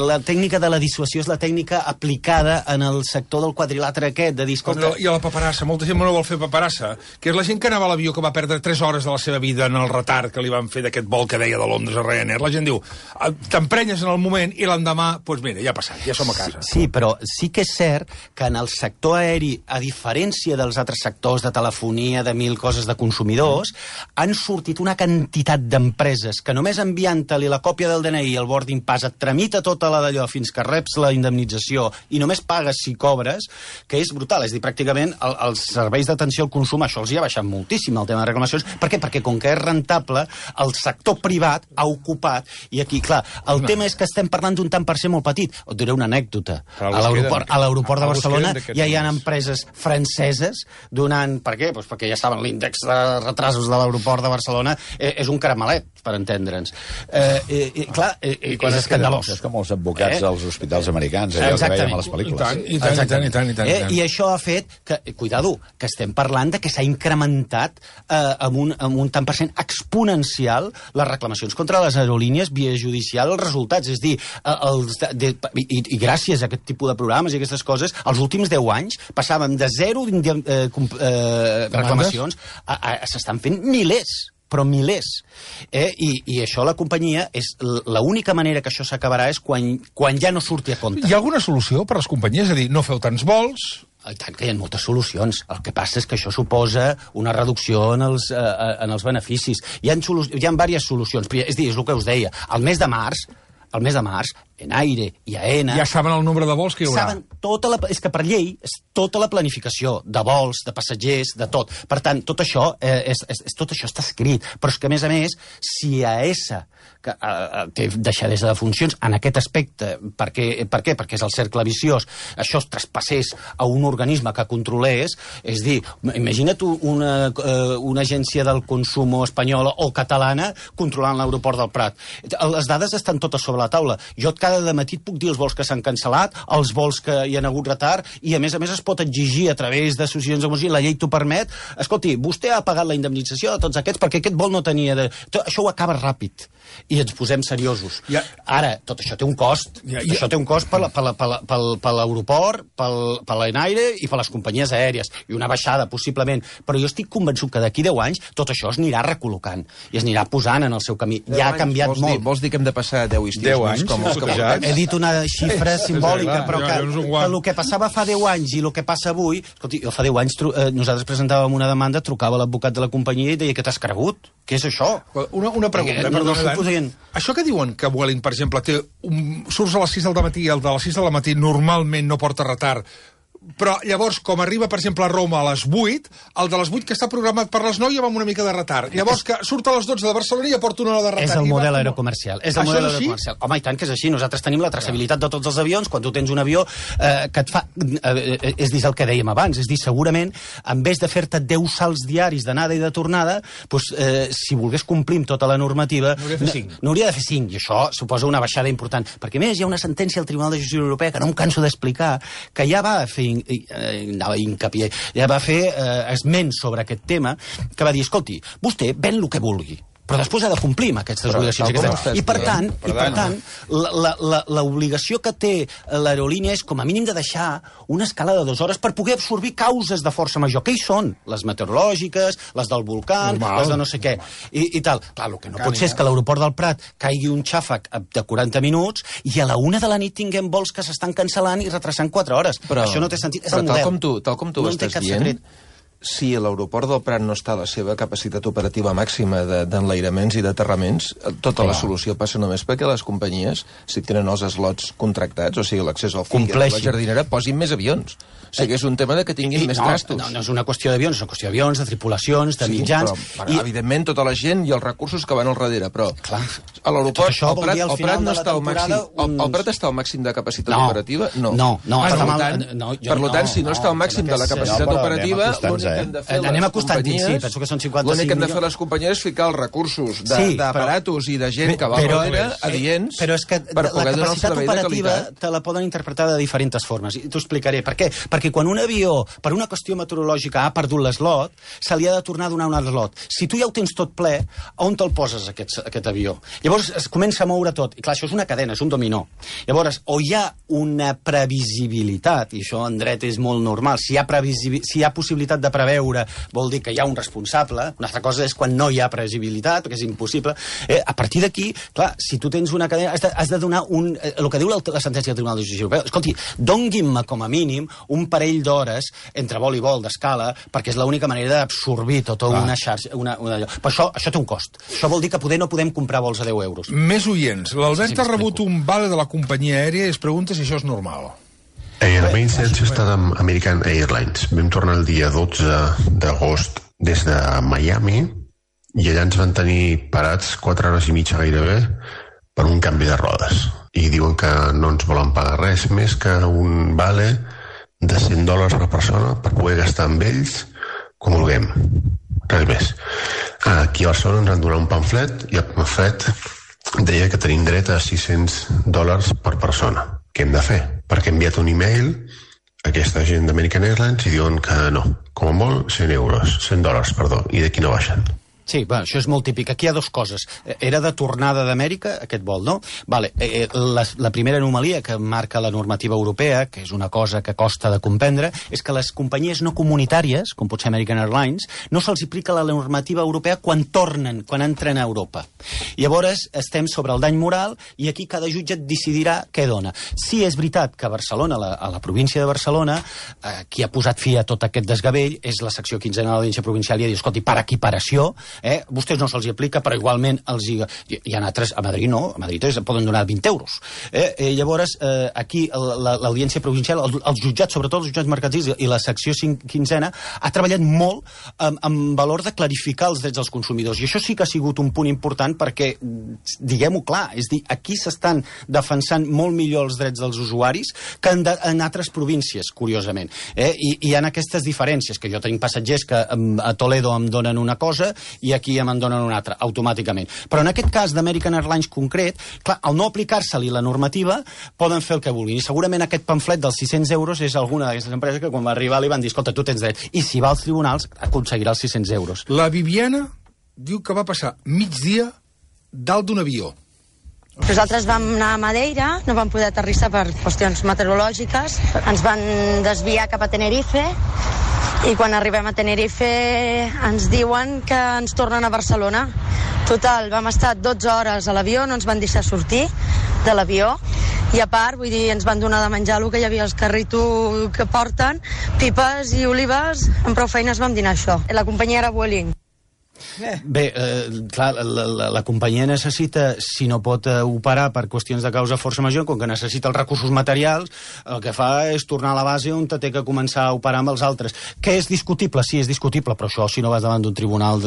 la tècnica de la dissuasió és la tècnica aplicada en el sector del quadrilàter aquest, de dir, escolta... I a la paperassa, molta gent no vol fer paperassa, que és la gent que anava a l'avió que va perdre tres hores de la seva vida en el retard que li van fer d'aquest vol que deia de Londres a Ryanair. La gent diu, t'emprenyes en el moment i l'endemà, doncs pues mira, ja ha passat, ja som a casa. Sí, però sí que és cert que en el sector aeri, a diferència dels altres sectors de telefonia, de mil coses de consumidors, han sortit una quantitat d'empreses que només enviant-li la còpia del D N I i el boarding pass et tramita tota la d'allò fins que reps la indemnització i només pagues si cobres, que és brutal. És dir, pràcticament el, els serveis d'atenció al consum, això els hi ha baixat moltíssim, el tema de reclamacions. Per què? Perquè com que és rentable, el sector privat ha ocupat, i aquí, clar, el no. tema és que estem parlant d'un tant per cent molt petit. Et diré una anècdota. A l'aeroport a l'aeroport de Barcelona ja hi ha empreses franceses donant... Per què? Pues perquè ja saben, l'índex de retrasos de l'aeroport de Barcelona eh, és un caramelet, per entendre'ns. Eh, eh, clar, eh, I és escandalós. És com els advocats eh? als hospitals americans, allò que veiem a les pel·lícules. I tant, i tant, i tant, i tant, i tant. Eh? I això ha fet que, cuidado, que estem parlant de que s'ha incrementat eh, amb, un, amb un tant per cent exponencial les reclamacions contra les aerolínies via judicial, els resultats. És dir, els de, de, i, i gràcies a aquest tipus de programes i aquestes coses, els últims deu anys passàvem de zero eh, eh, reclamacions a, a, a s'estan fent milers però milers. Eh? I, I això la companyia, és l'única manera que això s'acabarà és quan, quan ja no surti a compte. Hi ha alguna solució per a les companyies? És a dir, no feu tants vols... I tant que hi ha moltes solucions. El que passa és que això suposa una reducció en els, eh, en els beneficis. Hi ha, hi ha diverses solucions. És dir, és el que us deia. El mes de març, el mes de març Enaire i Aena... Ja saben el nombre de vols que hi haurà. Saben tota la... És que per llei és tota la planificació de vols, de passatgers, de tot. Per tant, tot això, eh, és, és, tot això està escrit. Però és que, a més a més, si A S que eh, té deixadesa de funcions en aquest aspecte, per què? per què? Perquè és el cercle viciós, això es traspassés a un organisme que controlés, és dir, imagina't una, eh, una agència del consum espanyola o catalana controlant l'aeroport del Prat. Les dades estan totes sobre la taula. Jo cada matí et puc dir els vols que s'han cancel·lat, els vols que hi ha hagut retard, i a més a més es pot exigir a través d'associacions de música, la llei t'ho permet, escolti, vostè ha pagat la indemnització de tots aquests perquè aquest vol no tenia... De... Tot això ho acaba ràpid i ens posem seriosos. Ja. Ara, tot això té un cost. Ja, ja. Això té un cost per l'aeroport, per l'Enaire i per les companyies aèries, i una baixada, possiblement. Però jo estic convençut que d'aquí deu anys tot això es anirà recol·locant i es anirà posant en el seu camí. Ja ha canviat vols molt. Dir, vols dir que hem de passar deu estius deu anys, com els que portem? He dit una xifra simbòlica, però que, que el que passava fa deu anys i el que passa avui... Escolti, jo fa deu anys eh, nosaltres presentàvem una demanda, trucava l'advocat de la companyia i deia que t'has cregut. Què és això? Una, una pregunta, no, perdona, no podien... Això que diuen que Vueling, per exemple, té un... surts a les sis del matí i el de les sis del matí normalment no porta retard, però llavors, com arriba, per exemple, a Roma a les vuit, el de les vuit que està programat per les nou ja va amb una mica de retard. Llavors, que surt a les dotze de Barcelona i ja porta una hora de retard. És el model va... aerocomercial. És el model aerocomercial. Home, i tant que és així. Nosaltres tenim la traçabilitat de tots els avions. Quan tu tens un avió eh, que et fa... Eh, és dir, el que dèiem abans. És dir, segurament, en vez de fer-te deu salts diaris d'anada i de tornada, doncs, eh, si volgués complir amb tota la normativa... N'hauria de fer cinc. N'hauria de fer cinc. I això suposa una baixada important. Perquè, a més, hi ha una sentència al Tribunal de Justícia Europea que no em canso d'explicar, que ja va fer... Eh, anava hincapié, ja va fer eh, esment sobre aquest tema, que va dir, escolti, vostè ven el que vulgui, però després ha de complir amb aquestes però, obligacions. Aquestes. I per tant, i per tant l'obligació que té l'aerolínia és com a mínim de deixar una escala de dues hores per poder absorbir causes de força major. Què hi són? Les meteorològiques, les del volcà, les de no sé què, i, i tal. Clar, el que no Cània. pot ser és que a l'aeroport del Prat caigui un xàfec de quaranta minuts i a la una de la nit tinguem vols que s'estan cancel·lant i retrasant quatre hores. Però, això no té sentit. És el model. Tal com tu, tal com tu no estàs dient... Secret. Si l'aeroport del Prat no està a la seva capacitat operativa màxima d'enlairaments i d'aterraments, tota Clar. la solució passa només perquè les companyies, si tenen els slots contractats, o sigui, l'accés al fill de la jardinera, posin més avions. O sigui, és un tema de que tinguin I, més no, gastos. No, no és una qüestió d'avions, és una qüestió d'avions, de tripulacions, de sí, mitjans... Però, I... Evidentment, tota la gent i els recursos que van al darrere, però Clar. a l'aeroport el, Prat, el Prat no està al màxim... Un... El, el Prat està al màxim de capacitat no. operativa? No. No, no. Per, està tant, no, per tant, si no està al màxim de la capacitat operativa, l'únic que hem de fer anem acostant-hi, sí, penso que són cinquanta-cinc l'únic que hem de fer les companyies és ficar els recursos d'aparatos i de gent que va al darrere adients però és que per poder donar un servei de qualitat. La capacitat operativa te la poden interpretar de diferents formes, i t'ho explicaré. Per què? Perquè quan un avió, per una qüestió meteorològica, ha perdut l'eslot, se li ha de tornar a donar un altre slot. Si tu ja ho tens tot ple, on te'l poses, aquest, aquest avió? Llavors es comença a moure tot, i clar, això és una cadena, és un dominó. Llavors, o hi ha una previsibilitat, i això en dret és molt normal, si hi ha, si hi ha possibilitat de preveure, vol dir que hi ha un responsable. Una altra cosa és quan no hi ha previsibilitat, perquè és impossible. Eh, a partir d'aquí, clar, si tu tens una cadena, has de, has de donar un... Eh, el que diu la, la sentència del Tribunal de Justícia Europea, escolti, donguin-me com a mínim un parell d'hores entre vol i vol d'escala, perquè és l'única manera d'absorbir tota ah. una xarxa... Una, una... Però això, això té un cost. Això vol dir que poder no podem comprar vols a deu euros. Més oients. L'Albert sí, sí, ha rebut un vale de la companyia aèria i es pregunta si això és normal. Eh, la meva incidència ha estat amb American Airlines. Vam tornar el dia dotze d'agost des de Miami i allà ens van tenir parats quatre hores i mitja gairebé per un canvi de rodes. I diuen que no ens volen pagar res més que un vale de cent dòlars per persona per poder gastar amb ells com vulguem. Res més. Aquí a Barcelona ens han donat un pamflet i el pamflet deia que tenim dret a sis-cents dòlars per persona. Què hem de fer? Perquè he enviat un e-mail a aquesta gent d'American Airlines i diuen que no. Com a molt, cent euros, cent dòlars, perdó, i d'aquí no baixen. Sí, bueno, això és molt típic. Aquí hi ha dues coses. Era de tornada d'Amèrica, aquest vol, no? Vale. Eh, la, la primera anomalia que marca la normativa europea, que és una cosa que costa de comprendre, és que les companyies no comunitàries, com pot ser American Airlines, no se'ls aplica la normativa europea quan tornen, quan entren a Europa. Llavors, estem sobre el dany moral i aquí cada jutge decidirà què dona. Si és veritat que a Barcelona, a la, a la província de Barcelona, eh, qui ha posat fi a tot aquest desgavell és la secció quinzena de l'Audiència Provincial i ha dit, escolti, per equiparació, Eh? A vostès no se'ls aplica, però igualment els hi... Hi ha altres, a Madrid no, a Madrid es poden donar vint euros. Eh? Eh, llavors, eh, aquí l'Audiència Provincial, el, els jutjats, sobretot els jutjats mercantils i la secció quinzena, ha treballat molt amb, amb valor de clarificar els drets dels consumidors. I això sí que ha sigut un punt important perquè, diguem-ho clar, és dir, aquí s'estan defensant molt millor els drets dels usuaris que en, de, en altres províncies, curiosament. Eh? I, I hi ha aquestes diferències, que jo tinc passatgers que a Toledo em donen una cosa i aquí em en donen una altra, automàticament. Però en aquest cas d'American Airlines concret, clar, al no aplicar-se-li la normativa, poden fer el que vulguin. I segurament aquest pamflet dels sis-cents euros és alguna d'aquestes empreses que quan va arribar li van dir, escolta, tu tens dret. I si va als tribunals, aconseguirà els sis-cents euros. La Viviana diu que va passar mig dia dalt d'un avió. Nosaltres vam anar a Madeira, no vam poder aterrissar per qüestions meteorològiques, ens van desviar cap a Tenerife i quan arribem a Tenerife ens diuen que ens tornen a Barcelona. Total, vam estar dotze hores a l'avió, no ens van deixar sortir de l'avió i a part, vull dir, ens van donar de menjar el que hi havia als carritos que porten, pipes i olives, amb prou feines vam dinar això. La companyia era Vueling. Bé, eh, clar, la, la, la companyia necessita, si no pot eh, operar per qüestions de causa força major, com que necessita els recursos materials, el que fa és tornar a la base on té que començar a operar amb els altres. Què és discutible? Sí, és discutible, però això si no vas davant d'un tribunal,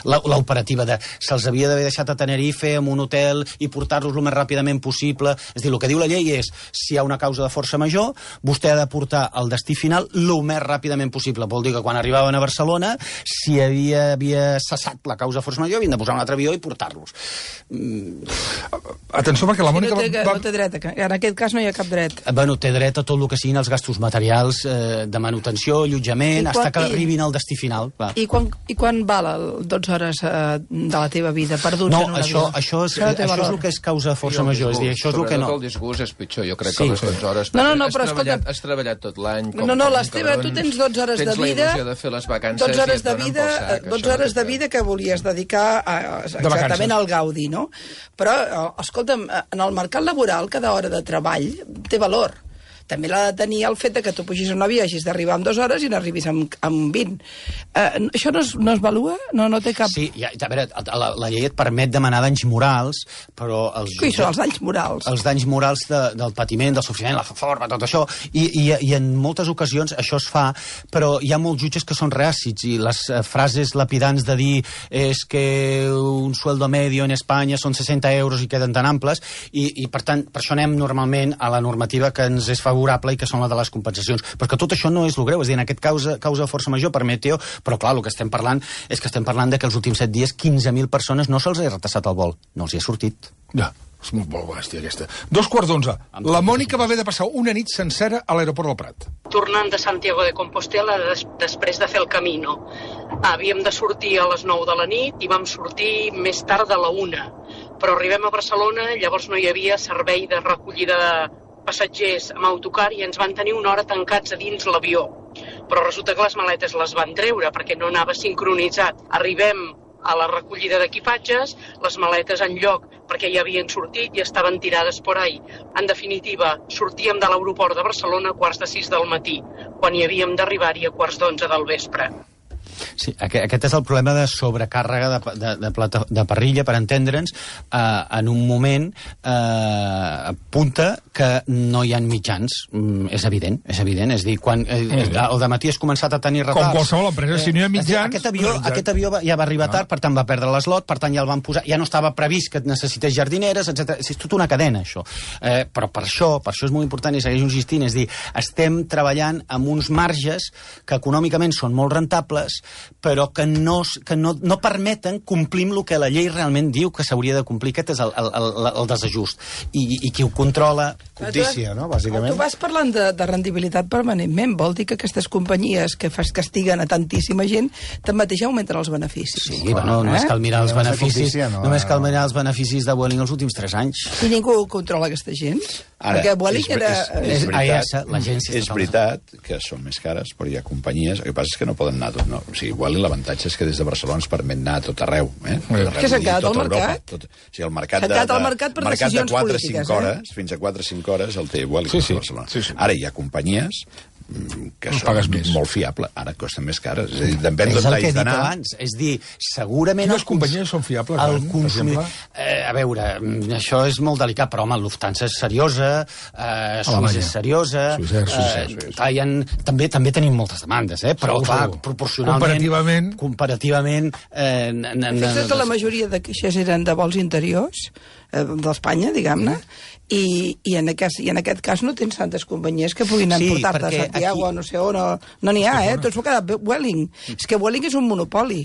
l'operativa de se'ls havia d'haver deixat a Tenerife en un hotel i portar-los el més ràpidament possible. És dir, el que diu la llei és, si hi ha una causa de força major, vostè ha de portar al destí final el més ràpidament possible. Vol dir que quan arribaven a Barcelona, si havia, havia cessat la causa força major, havien de posar un altre avió i portar-los. Mm. Atenció, perquè la Mònica... No té, va... no té dret, en aquest cas no hi ha cap dret. Bueno, té dret a tot el que siguin els gastos materials eh, de manutenció, allotjament, fins que arribin al destí final. Va. I quan, i quan val el dotze hores eh, de la teva vida perduts no, en un això, avió? Això és, això, això és el que és causa de força major. És dir, això és el que no. El disgust és pitjor, jo crec sí. que les dotze hores... No, no, no, però has escolta... Treballat, has treballat tot l'any... No, no, les teves, tu tens dotze hores de vida... Tens la il·lusió de fer les vacances dotze hores i de et donen vida, pel sac. dotze hores de vida que volies dedicar a, exactament al gaudi, no? Però, escolta'm, en el mercat laboral cada hora de treball té valor. També l'ha de tenir el fet que tu pugis a un avió, hagis d'arribar en dues hores i n'arribis amb, amb vint. Uh, això no es, no es valua? No, no té cap... Sí, ja, a veure, la, la llei et permet demanar danys morals, però... Els Qui són els danys morals? Els danys morals de, del patiment, del sofriment, la forma, tot això, i, i, i en moltes ocasions això es fa, però hi ha molts jutges que són reàcids, i les frases lapidants de dir és que un sueldo medio en Espanya són seixanta euros i queden tan amples, i, i per tant, per això anem normalment a la normativa que ens és favorable i que són la de les compensacions. Però que tot això no és el greu, és a dir, en aquest causa, causa de força major per Meteo, però clar, el que estem parlant és que estem parlant de que els últims set dies quinze mil persones no se'ls ha retrasat el vol, no els hi ha sortit. Ja, és molt, molt bèstia aquesta. Dos quarts d'onze. La Mònica va haver de passar una nit sencera a l'aeroport del Prat. Tornant de Santiago de Compostela des, després de fer el Camino. Havíem de sortir a les nou de la nit i vam sortir més tard de la una. Però arribem a Barcelona, llavors no hi havia servei de recollida de passatgers amb autocar i ens van tenir una hora tancats a dins l'avió. Però resulta que les maletes les van treure perquè no anava sincronitzat. Arribem a la recollida d'equipatges, les maletes en lloc perquè ja havien sortit i estaven tirades por ahí. En definitiva, sortíem de l'aeroport de Barcelona a quarts de sis del matí, quan hi havíem d'arribar-hi a quarts d'onze del vespre. Sí, aquest és el problema de sobrecàrrega de, de, de, plata, de parrilla, per entendre'ns, eh, en un moment eh, punta que no hi ha mitjans. Mm, és evident, és evident. És dir, quan eh, el dematí has començat a tenir retards... Com qualsevol empresa, si no hi ha mitjans... Eh, aquest avió, aquest avió ja va arribar tard, per tant va perdre l'eslot, per tant ja el van posar... Ja no estava previst que necessités jardineres, etcètera. És tota una cadena, això. Eh, però per això, per això és molt important i segueix insistint, és dir, estem treballant amb uns marges que econòmicament són molt rentables, però que no, que no, no permeten complir el que la llei realment diu que s'hauria de complir. Aquest és el, el, el, el desajust. I, I qui ho controla... Codícia, no?, bàsicament. Tu vas parlant de, de rendibilitat permanentment. Vol dir que aquestes companyies que castiguen a tantíssima gent tanmateix augmenten els beneficis. Sí, bueno, eh? només cal mirar els beneficis, no, només cal mirar els beneficis de Vueling els últims tres anys. I ningú controla aquesta gent? Ara, perquè Vueling era... És, és, és veritat, és veritat que són més cares, però hi ha companyies... El que passa és que no poden anar tot... No. O sigui, Vueling l'avantatge és que des de Barcelona ens permet anar a tot arreu. Eh? Què s'ha quedat al mercat? Tot, o sigui, el mercat de, de, mercat per mercat de quatre a cinc hores, fins a quatre a cinc hores el té Vueling sí, sí, a Barcelona. Sí, sí. Ara hi ha companyies que no són molt fiables. Ara costen més cares. És a dir, depèn d'on t'has d'anar. És el que he dit abans. És dir, segurament... Quines companyies són fiables, el consumidor... Eh, a veure, això és molt delicat, però, home, Lufthansa és seriosa, eh, Suïssa és seriosa... Suïssa, Suïssa, Suïssa. Eh, també, també tenim moltes demandes, eh? Però, clar, proporcionalment... Comparativament... Comparativament... Eh, Fixa't que la majoria de queixes eren de vols interiors, eh, d'Espanya, diguem-ne, I, i, en aquest, i en aquest cas no tens tantes companyies que puguin sí, emportar-te a Santiago o aquí... no sé on, no n'hi no ha, eh? Tots s'ho ha quedat Vueling. És que Vueling és un monopoli.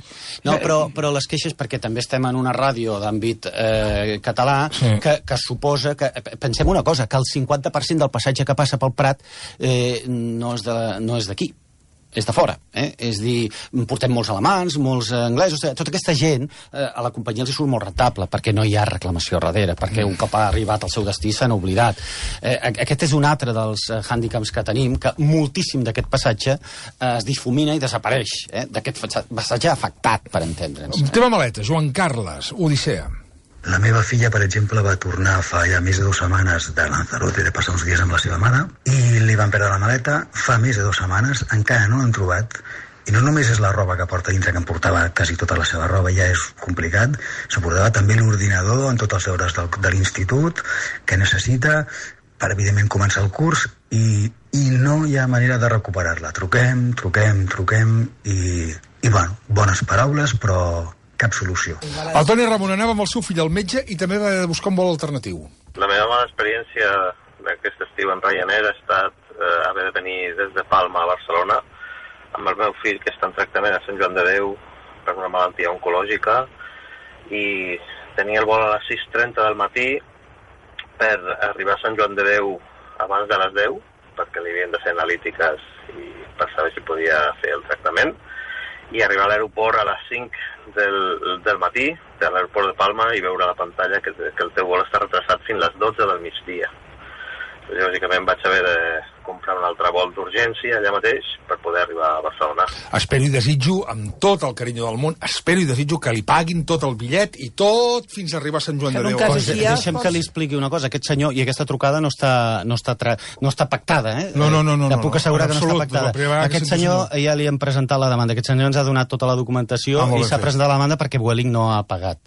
No, però, però les queixes, perquè també estem en una ràdio d'àmbit eh, català, sí. que, que suposa que... Pensem una cosa, que el cinquanta per cent del passatge que passa pel Prat eh, no és de, no és d'aquí. És de fora, eh? És dir, portem molts alemans, molts anglesos, tota aquesta gent, eh, a la companyia els hi surt molt rentable, perquè no hi ha reclamació darrere, perquè un cop ha arribat al seu destí s'han oblidat. Eh, aquest és un altre dels eh, hàndicaps que tenim, que moltíssim d'aquest passatge eh, es difumina i desapareix, eh? D'aquest passatge afectat, per entendre'ns. Tema maleta, Joan Carles, Odissea. La meva filla, per exemple, va tornar fa ja més de dues setmanes de Lanzarote, de passar uns dies amb la seva mare, i li van perdre la maleta fa més de dues setmanes, encara no l'han trobat, i no només és la roba que porta dintre, que em portava quasi tota la seva roba, ja és complicat, s'emportava també l'ordinador en tots els deures del, de l'institut, que necessita per, evidentment, començar el curs, i, i no hi ha manera de recuperar-la. Truquem, truquem, truquem, i, i bueno, bones paraules, però... cap solució. El Toni Ramon anava amb el seu fill al metge i també va buscar un vol alternatiu. La meva mala experiència d'aquest estiu en Ryanair ha estat eh, haver de venir des de Palma a Barcelona amb el meu fill, que està en tractament a Sant Joan de Déu per una malaltia oncològica, i tenia el vol a les sis trenta del matí per arribar a Sant Joan de Déu abans de les deu, perquè li havien de fer analítiques i per saber si podia fer el tractament, i arribar a l'aeroport a les cinc del, del matí, de l'aeroport de Palma, i veure a la pantalla que, que el teu vol està retrasat fins a les dotze del migdia. Lògicament vaig haver de comprar un altre vol d'urgència allà mateix per poder arribar a Barcelona. Espero i desitjo, amb tot el carinyo del món, espero i desitjo que li paguin tot el bitllet i tot fins a arribar a Sant Joan de Déu. Pues, deixem que li expliqui una cosa. Aquest senyor i aquesta trucada no està, no està, tra... no està pactada, eh? No, no, no. no Te puc assegurar no, que no està pactada. Aquest senyor, senyor ja li hem presentat la demanda. Aquest senyor ens ha donat tota la documentació ah, i s'ha presentat la demanda perquè Vueling no ha pagat.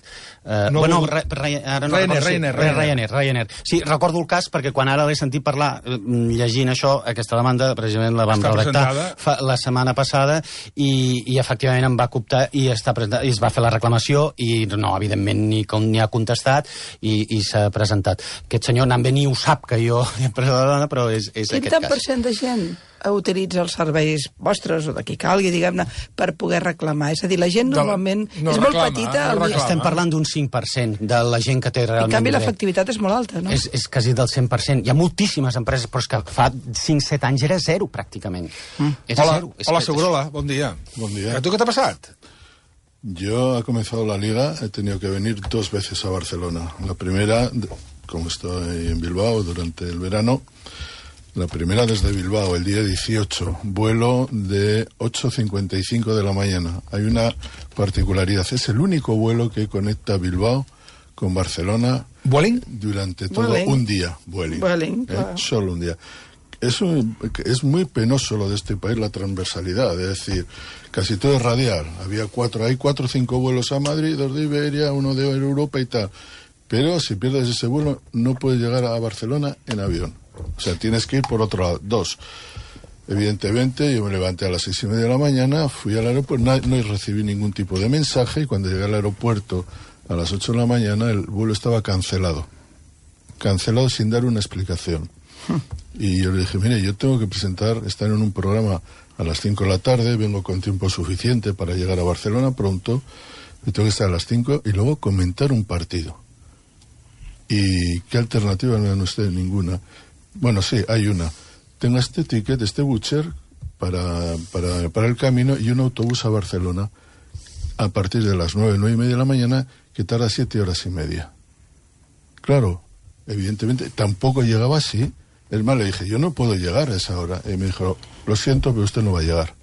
Uh, no, bueno, re, re, ara no Ryanair, recordo, Ryanair, sí, Ryanair, Ryanair. Sí, recordo el cas perquè quan ara l'he sentit parlar, llegint això, aquesta demanda, precisament la vam està redactar fa, la setmana passada i, i efectivament em va coptar i, està presentat, i es va fer la reclamació i no, evidentment, ni, com, ni ha contestat i, i s'ha presentat. Aquest senyor Nambe ni ho sap que jo he pres la dona, però és, és aquest cas. Quin tant per cent de gent utilitza els serveis vostres o de qui calgui, diguem-ne, per poder reclamar? És a dir, la gent normalment no, no és reclama, molt petita. No reclama. Estem parlant d'un cinc per cent de la gent que té realment... En canvi, l'efectivitat és molt alta, no? És, és quasi del cent per cent. Hi ha moltíssimes empreses, però és que fa cinc set anys era zero, pràcticament. Mm. És hola, zero. És hola que... Segurola, bon dia. Bon día. ¿A tú qué te ha pasado? Yo he comenzado la liga, he tenido que venir dos veces a Barcelona. La primera, como estoy en Bilbao durante el verano, la primera desde Bilbao, el día dieciocho, vuelo de ocho cincuenta y cinco de la mañana. Hay una particularidad, es el único vuelo que conecta Bilbao con Barcelona. ¿Vueling? Durante todo Vueling. un día, Vueling. Vueling, ¿eh? claro. Solo un día. Es, un, es muy penoso lo de este país, la transversalidad, es decir, casi todo es radial. Había cuatro, hay cuatro o cinco vuelos a Madrid, dos de Iberia, uno de Europa y tal. Pero si pierdes ese vuelo, no puedes llegar a Barcelona en avión. O sea, tienes que ir por otro lado. Dos, evidentemente, yo me levanté a las seis y media de la mañana, fui al aeropuerto, no, no recibí ningún tipo de mensaje, y cuando llegué al aeropuerto a las ocho de la mañana, el vuelo estaba cancelado. Cancelado sin dar una explicación. Y yo le dije, mire, yo tengo que presentar, estar en un programa a las cinco de la tarde, vengo con tiempo suficiente para llegar a Barcelona pronto, y tengo que estar a las cinco y luego comentar un partido. ¿Y qué alternativa no dan ustedes? Ninguna. Bueno, sí, hay una. Tengo este ticket, este voucher para, para, para el camino y un autobús a Barcelona a partir de las nueve, nueve y media de la mañana, que tarda siete horas y media. Claro, evidentemente, tampoco llegaba así. Es más, le dije, yo no puedo llegar a esa hora. Y me dijo, lo siento, pero usted no va a llegar.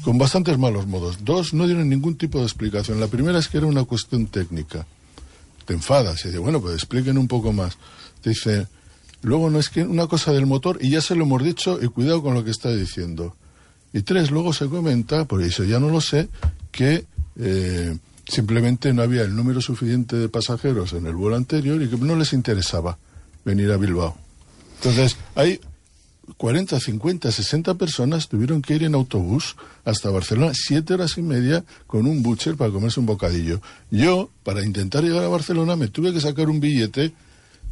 Con bastantes malos modos. Dos, no dieron ningún tipo de explicación. La primera es que era una cuestión técnica. Te enfadas y dices, bueno, pues expliquen un poco más. Te dice, luego no es que una cosa del motor, y ya se lo hemos dicho, y cuidado con lo que está diciendo. Y tres, luego se comenta, por eso ya no lo sé, que eh, simplemente no había el número suficiente de pasajeros en el vuelo anterior y que no les interesaba venir a Bilbao. Entonces, hay cuarenta, cincuenta, sesenta personas tuvieron que ir en autobús hasta Barcelona, siete horas y media con un butcher para comerse un bocadillo. Yo, para intentar llegar a Barcelona, me tuve que sacar un billete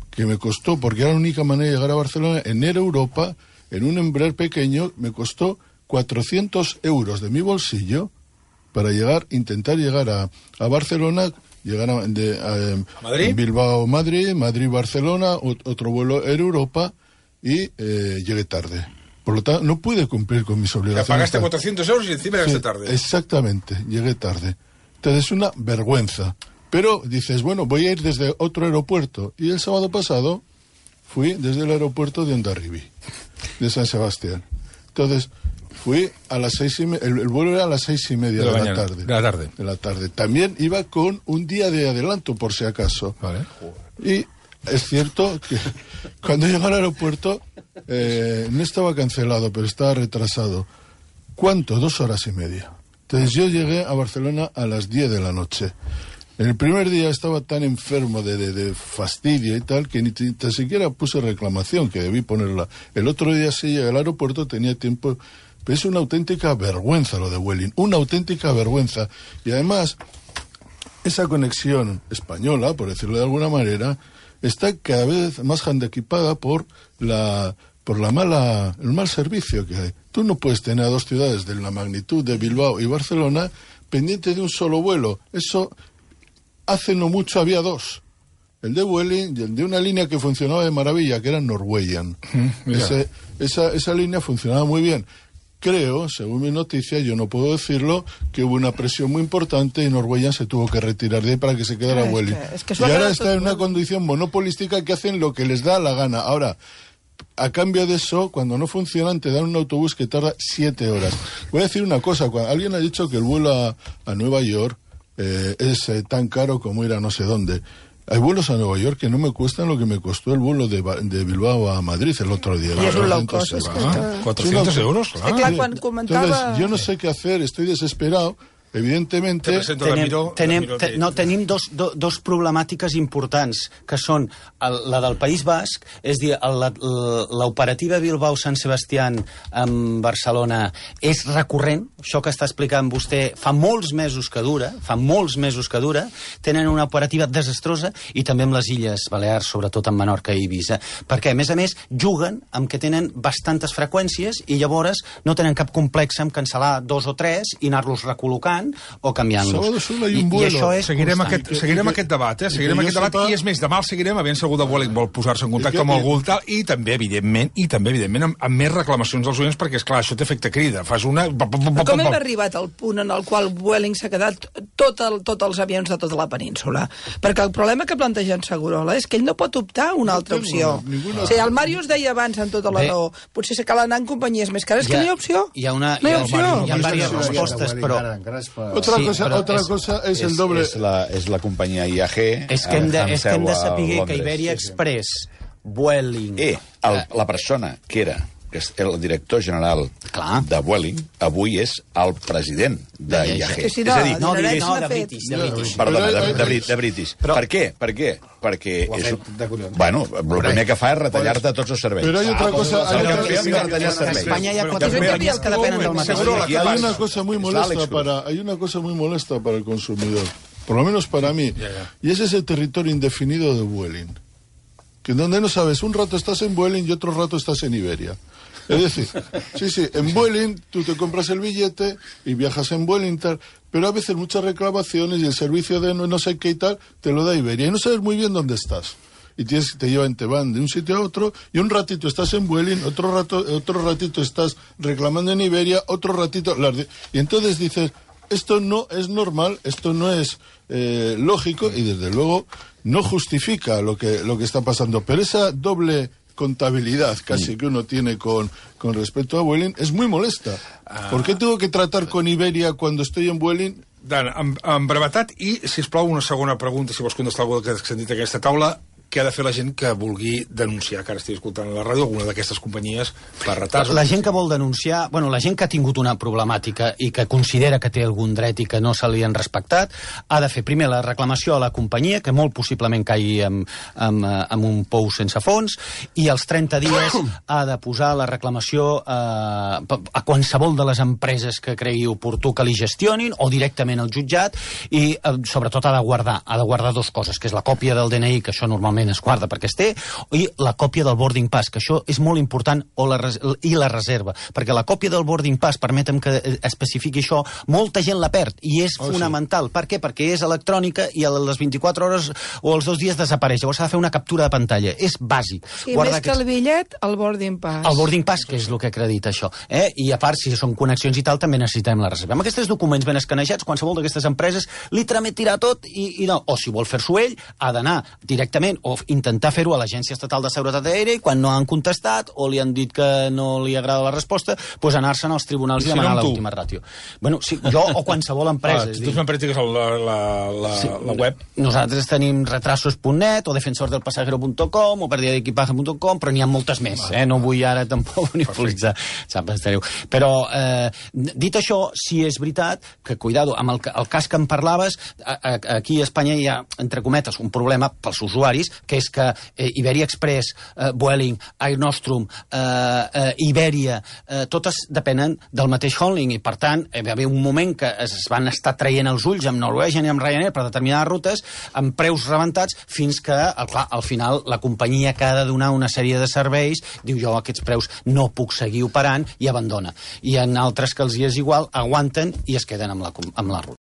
que me costó, porque era la única manera de llegar a Barcelona, en Air Europa, en un Embraer pequeño, me costó cuatrocientos euros de mi bolsillo para llegar, intentar llegar a, a Barcelona, llegar a, de, a, ¿Madrid? Bilbao, Madrid, Madrid-Barcelona, otro vuelo Air Europa, y eh, llegué tarde. Por lo tanto, no pude cumplir con mis obligaciones. Ya pagaste cuatrocientos euros y encima llegaste sí, tarde. Exactamente, llegué tarde. Entonces es una vergüenza. Pero dices, bueno, voy a ir desde otro aeropuerto. Y el sábado pasado fui desde el aeropuerto de Hondarribí, de San Sebastián. Entonces fui a las seis y media, el, el vuelo era a las seis y media de, de, la, la tarde, de la tarde. De la tarde. También iba con un día de adelanto, por si acaso. Vale. Y es cierto que cuando llegué al aeropuerto eh, no estaba cancelado, pero estaba retrasado. ¿Cuánto? Dos horas y media. Entonces yo llegué a Barcelona a las diez de la noche. En el primer día estaba tan enfermo de, de, de fastidio y tal que ni, ni siquiera puse reclamación, que debí ponerla. El otro día sí llegué al aeropuerto, tenía tiempo. Pero es una auténtica vergüenza lo de Vueling, una auténtica vergüenza. Y además, esa conexión española, por decirlo de alguna manera, está cada vez más handicapada por la por la mala el mal servicio que hay. Tú no puedes tener a dos ciudades de la magnitud de Bilbao y Barcelona pendiente de un solo vuelo. Eso hace no mucho había dos. El de Vueling y el de una línea que funcionaba de maravilla, que era Norwegian. Mm, Ese, esa, esa línea funcionaba muy bien. Creo, según mi noticia, yo no puedo decirlo, que hubo una presión muy importante y Norwegian se tuvo que retirar de ahí para que se quedara es Vueling. Que, es que y ahora está en una condición monopolística que hacen lo que les da la gana. Ahora, a cambio de eso, cuando no funcionan, te dan un autobús que tarda siete horas. Voy a decir una cosa. Cuando alguien ha dicho que el vuelo a, a Nueva York eh, es eh, tan caro como ir a no sé dónde. Hay vuelos a Nueva York que no me cuestan lo que me costó el vuelo de, de Bilbao a Madrid el otro día. Y es un low cost. Es que ah, cuatrocientos euros, claro. Es que, claro, quan comentava... Entonces, yo no sé qué hacer, estoy desesperado. Evidentemente... Tenem, tenem, te, no, tenim dos, do, dos problemàtiques importants, que són el, la del País Basc, és dir, l'operativa Bilbao-Sant Sebastián en Barcelona és recurrent, això que està explicant vostè fa molts mesos que dura, fa molts mesos que dura, tenen una operativa desastrosa, i també amb les Illes Balears, sobretot en Menorca i Eivissa, perquè, a més a més, juguen amb que tenen bastantes freqüències i llavors no tenen cap complex en cancel·lar dos o tres i anar-los recol·locant o canviant-los. I, I això és seguirem aquest, seguirem aquest debat, eh? Seguirem aquest debat, i és més, demà el seguirem, aviam si algú de Vueling vol posar-se en contacte amb algú tal, i també, evidentment, i també, evidentment, amb, amb més reclamacions dels oients, perquè, esclar, això té efecte crida. Fas una... Com hem arribat al punt en el qual Vueling s'ha quedat tots tot els avions de tota la península? Perquè el problema que planteja en Segurola és que ell no pot optar a una altra opció. O sigui, el Màrius deia abans, en tota la raó, potser se cal anar en companyies més cares, que no hi ha opció. Hi ha una... No hi ha opció. Hi ha diverses respostes, però... Otra, sí, cosa, otra es, cosa es, es el doble... Es la, es la compañía I A G... És que hem de, és que hem de saber que Iberia Express, Vueling... Eh, el, la persona que era que és el director general Clar. de Vueling, avui és el president de I A G. Sí, no, és a dir, no, de, no, de British, de British. Perdona, de, de, de, de British. Però, per què? Per què? Perquè és, bueno, el primer que fa és retallar-te tots els serveis. Però hi ha otra cosa... Ah, hay otra cosa en España hi ha quatre companyies que depenen del mateix. Hay una cosa muy molesta para, hay una cosa muy molesta para el consumidor, por lo menos para mí, yeah, yeah. y es ese territorio indefinido de Vueling, que donde no sabes, un rato estás en Vueling y otro rato estás en Iberia. Es decir, sí, sí, en Vueling tú te compras el billete y viajas en Vueling tal, pero a veces muchas reclamaciones y el servicio de no, no sé qué y tal te lo da Iberia y no sabes muy bien dónde estás. Y tienes, te llevan, te van de un sitio a otro y un ratito estás en Vueling, otro rato, otro ratito estás reclamando en Iberia, otro ratito... Y entonces dices, esto no es normal, esto no es eh, lógico y desde luego no justifica lo que, lo que está pasando. Pero esa doble contabilidad casi que uno tiene con, con respecto a Vueling és muy molesta. Ah. ¿Por qué tengo que tratar con Iberia cuando estoy en Vueling? Dan, amb, amb brevetat i, sisplau, una segona pregunta, si vols contestar algú que has sentit aquesta taula. què ha de fer la gent que vulgui denunciar, que ara estic escoltant a la ràdio, alguna d'aquestes companyies per retards? La gent que vol denunciar, bueno, la gent que ha tingut una problemàtica i que considera que té algun dret i que no se li han respectat, ha de fer primer la reclamació a la companyia, que molt possiblement caigui en, en, en un pou sense fons, i als trenta dies ha de posar la reclamació eh, a qualsevol de les empreses que cregui oportú que li gestionin, o directament al jutjat, i eh, sobretot ha de guardar, ha de guardar dues coses, que és la còpia del D N I, que això normalment es guarda perquè es té, i la còpia del boarding pass, que això és molt important, o la res i la reserva, perquè la còpia del boarding pass, permetem que especifiqui això, molta gent la perd, i és oh, fonamental. Sí. Per què? Perquè és electrònica i a les vint-i-quatre hores o els dos dies desapareix. Llavors s'ha de fer una captura de pantalla. És bàsic. I més que el bitllet, el boarding pass. El boarding pass, que és el que acredita això. Eh? I a part, si són connexions i tal, també necessitem la reserva. Amb aquests documents ben escanejats, qualsevol d'aquestes empreses li trametirà tot i, i no. O si vol fer-s'ho ell, ha d'anar directament o intentar fer-ho a l'Agència Estatal de Seguretat Aèria, i quan no han contestat o li han dit que no li agrada la resposta, doncs anar-se'n als tribunals i, i demanar l'última ràtio. Bueno, sí, jo o qualsevol empresa. Ah, tu me'n practiques la, la, la, sí, la web? Nosaltres tenim retrasos punt net o defensor del pasajero punt com o pérdida d'equipaje punt com, però n'hi ha moltes més. Eh? No vull ara tampoc monopolitzar. Però, eh, dit això, sí és veritat que, cuidado, amb el, el cas que em parlaves, a, a, aquí a Espanya hi ha, entre cometes, un problema pels usuaris, que és que eh, Iberia Express, eh, Vueling, Air Nostrum, eh, eh, Iberia, eh, totes depenen del mateix holding, i per tant hi va haver un moment que es van estar traient els ulls amb Norwegian i amb Ryanair per determinades rutes amb preus rebentats, fins que clar, al final la companyia que ha de donar una sèrie de serveis diu jo aquests preus no puc seguir operant i abandona. I en altres que els hi és igual, aguanten i es queden amb la, amb la ruta.